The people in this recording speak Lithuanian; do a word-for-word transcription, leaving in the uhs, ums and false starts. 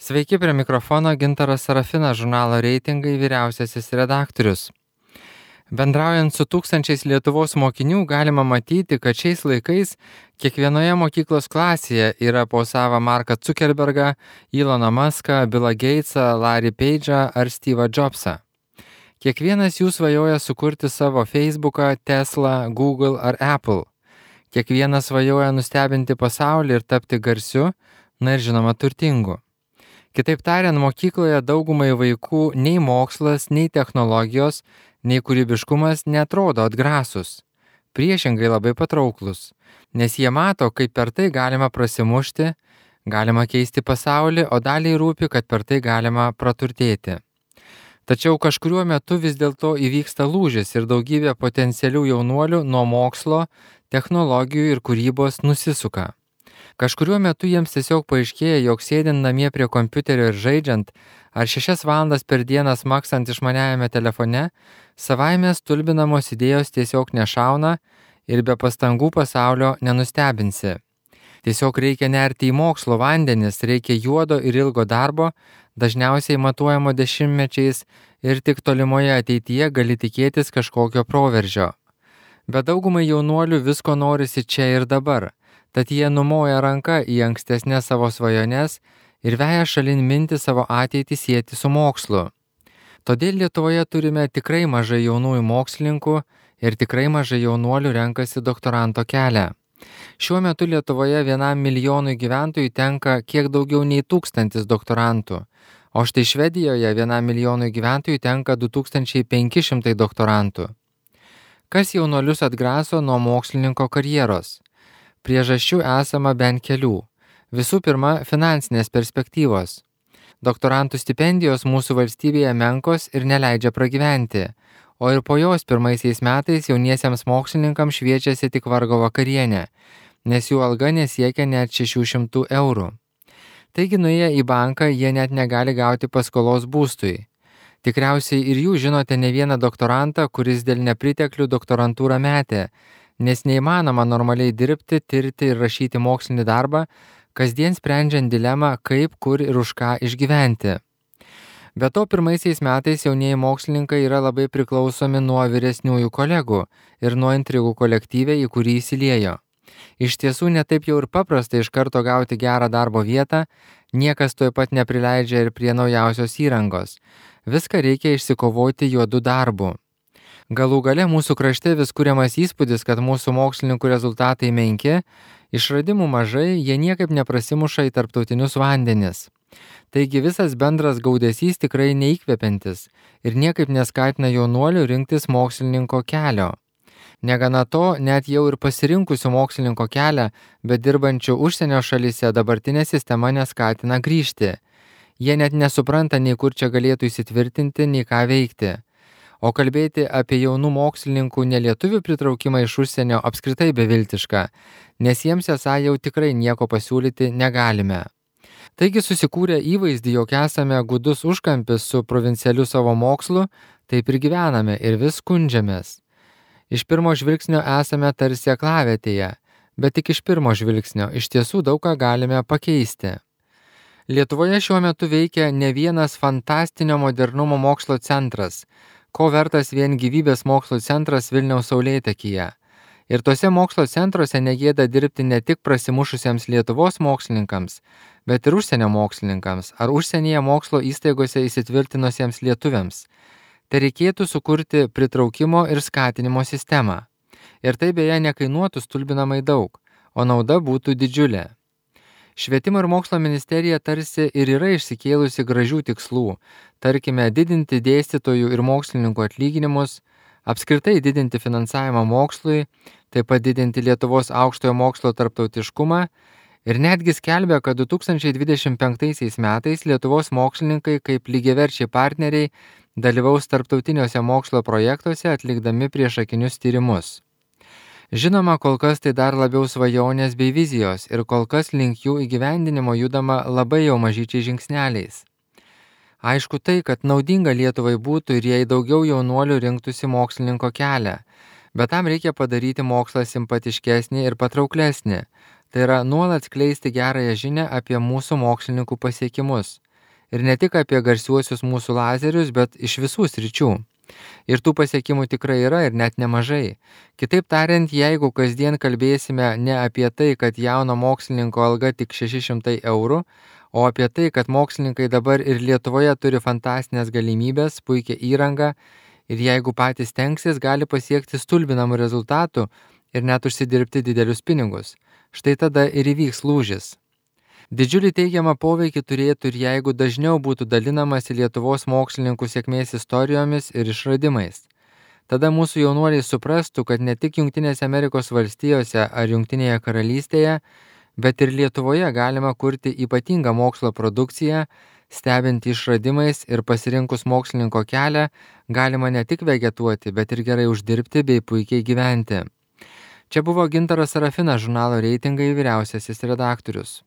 Sveiki, prie mikrofono Gintaras Sarafinas, žurnalo Reitingai vyriausiasis redaktorius. Bendraujant su tūkstančiais Lietuvos mokinių galima matyti, kad šiais laikais kiekvienoje mokyklos klasėje yra po savą Marką Zuckerbergą, Eloną Muską, Billą Gatesą, Larry Page'ą ar Steve'ą Jobsą. Kiekvienas jų svajoja sukurti savo Facebooką, Tesla, Google ar Apple. Kiekvienas svajoja nustebinti pasaulį ir tapti garsiu, na ir žinoma turtingu. Kitaip tariant, mokykloje daugumai vaikų nei mokslas, nei technologijos, nei kūrybiškumas netrodo atgrasus. Priešingai labai patrauklus, nes jie mato, kaip per tai galima prasimušti, galima keisti pasaulį, o daliai rūpi, kad per tai galima praturtėti. Tačiau kažkuriuo metu vis dėlto įvyksta lūžis ir daugybė potencialių jaunuolių nuo mokslo, technologijų ir kūrybos nusisuka. Kažkuriuo metu jiems tiesiog paaiškėja, jog sėdint namie prie kompiuterio ir žaidžiant, ar šešias valandas per dieną smakstant išmaniajame telefone, savaime stulbinamos idėjos tiesiog nešauna ir be pastangų pasaulio nenustebinsi. Tiesiog reikia nerti į mokslo vandenis, reikia juodo ir ilgo darbo, dažniausiai matuojamo dešimtmečiais ir tik tolimoje ateityje gali tikėtis kažkokio proveržio. Bet daugumai jaunuolių visko norisi čia ir dabar. Tad jie numoja ranką į ankstesnės savo svajones ir veja šalin mintį savo ateitį sieti su mokslu. Todėl Lietuvoje turime tikrai mažai jaunųjų mokslininkų ir tikrai mažai jaunuolių renkasi doktoranto kelią. Šiuo metu Lietuvoje vienam milijonui gyventojų tenka kiek daugiau nei tūkstantis doktorantų, o štai Švedijoje vienam milijonui gyventojų tenka du tūkstančiai penki šimtai doktorantų. Kas jaunuolius atgraso nuo mokslininko karjeros? Priežasčių esama bent kelių. Visų pirma, finansinės perspektyvos. Doktorantų stipendijos mūsų valstybėje menkos ir neleidžia pragyventi, o ir po jos pirmaisiais metais jauniesiems mokslininkams šviečiasi tik vargo vakarienė, nes jų alga nesiekia net šešių šimtų eurų. Taigi nuėję į banką jie net negali gauti paskolos būstui. Tikriausiai ir jūs žinote ne vieną doktorantą, kuris dėl nepriteklių doktorantūrą metė, nes neįmanoma normaliai dirbti, tirti ir rašyti mokslinį darbą, kasdien sprendžiant dilemą, kaip, kur ir už ką išgyventi. Be to, pirmaisiais metais jaunieji mokslininkai yra labai priklausomi nuo vyresniųjų kolegų ir nuo intrigų kolektyve, į kurį įsiliejo. Iš tiesų, netaip jau ir paprasta iš karto gauti gerą darbo vietą, niekas tuoj pat neprileidžia ir prie naujausios įrangos. Viską reikia išsikovoti juodu darbu. Galų gale mūsų krašte vis kuriamas įspūdis, kad mūsų mokslininkų rezultatai menki, išradimų mažai, jie niekaip neprasimuša į tarptautinius vandenis. Taigi visas bendras gaudesys tikrai neįkvepiantis ir niekaip neskatina jaunuolių rinktis mokslininko kelio. Negana to, net jau ir pasirinkusių mokslininko kelią, bet dirbančių užsienio šalyse dabartinė sistema neskatina grįžti. Jie net nesupranta, nei kur čia galėtų įsitvirtinti, nei ką veikti. O kalbėti apie jaunų mokslininkų nelietuvių pritraukimą iš užsienio apskritai beviltiška, nes jiems esą jau tikrai nieko pasiūlyti negalime. Taigi susikūrę įvaizdį, jog esame gudus užkampis su provincialiu savo mokslu, taip ir gyvename ir vis skundžiamės. Iš pirmo žvilgsnio esame tarsi aklavietėje, bet tik iš pirmo žvilgsnio iš tiesų daug ką galime pakeisti. Lietuvoje šiuo metu veikia ne vienas fantastinio modernumo mokslo centras, ko vertas vien gyvybės mokslo centras Vilniaus Saulėtekyje. Ir tose mokslo centruose negėda dirbti ne tik prasimušusiems Lietuvos mokslininkams, bet ir užsienio mokslininkams ar užsienyje mokslo įstaigose įsitvirtinusiems lietuviams. Tai reikėtų sukurti pritraukimo ir skatinimo sistemą. Ir tai beje nekainuotų stulbinamai daug, o nauda būtų didžiulė. Švietimo ir mokslo ministerija tarsi ir yra išsikėlusi gražių tikslų, tarkime didinti dėstytojų ir mokslininkų atlyginimus, apskritai didinti finansavimą mokslui, taip pat didinti Lietuvos aukštojo mokslo tarptautiškumą ir netgi skelbia, kad du tūkstančiai dvidešimt penktaisiais metais Lietuvos mokslininkai kaip lygiaverčiai partneriai dalyvaus tarptautiniuose mokslo projektuose atlikdami priešakinius tyrimus. Žinoma, kol kas tai dar labiau svajonės bei vizijos ir kol kas link jų įgyvendinimo judama labai jau mažyčiai žingsneliais. Aišku tai, kad naudinga Lietuvai būtų ir jei daugiau jaunuolių rinktųsi mokslininko kelią, bet tam reikia padaryti mokslą simpatiškesnį ir patrauklesnį. Tai yra nuolat skleisti gerąją žinią apie mūsų mokslininkų pasiekimus. Ir ne tik apie garsiuosius mūsų lazerius, bet iš visų sričių. Ir tų pasiekimų tikrai yra ir net nemažai. Kitaip tariant, jeigu kasdien kalbėsime ne apie tai, kad jauno mokslininko alga tik šeši šimtai eurų, o apie tai, kad mokslininkai dabar ir Lietuvoje turi fantastinės galimybės, puikią įrangą ir jeigu patys tenksis, gali pasiekti stulbinamų rezultatų ir net užsidirbti didelius pinigus. Štai tada ir įvyks lūžis. Didžiulį teigiamą poveikį turėtų ir jeigu dažniau būtų dalinamasi Lietuvos mokslininkų sėkmės istorijomis ir išradimais. Tada mūsų jaunuoliai suprastų, kad ne tik Jungtinėse Amerikos valstijose ar Jungtinėje karalystėje, bet ir Lietuvoje galima kurti ypatingą mokslo produkciją, stebint išradimais ir pasirinkus mokslininko kelią, galima ne tik vegetuoti, bet ir gerai uždirbti bei puikiai gyventi. Čia buvo Gintaras Serafinas, žurnalo Reitingai vyriausiasis redaktorius.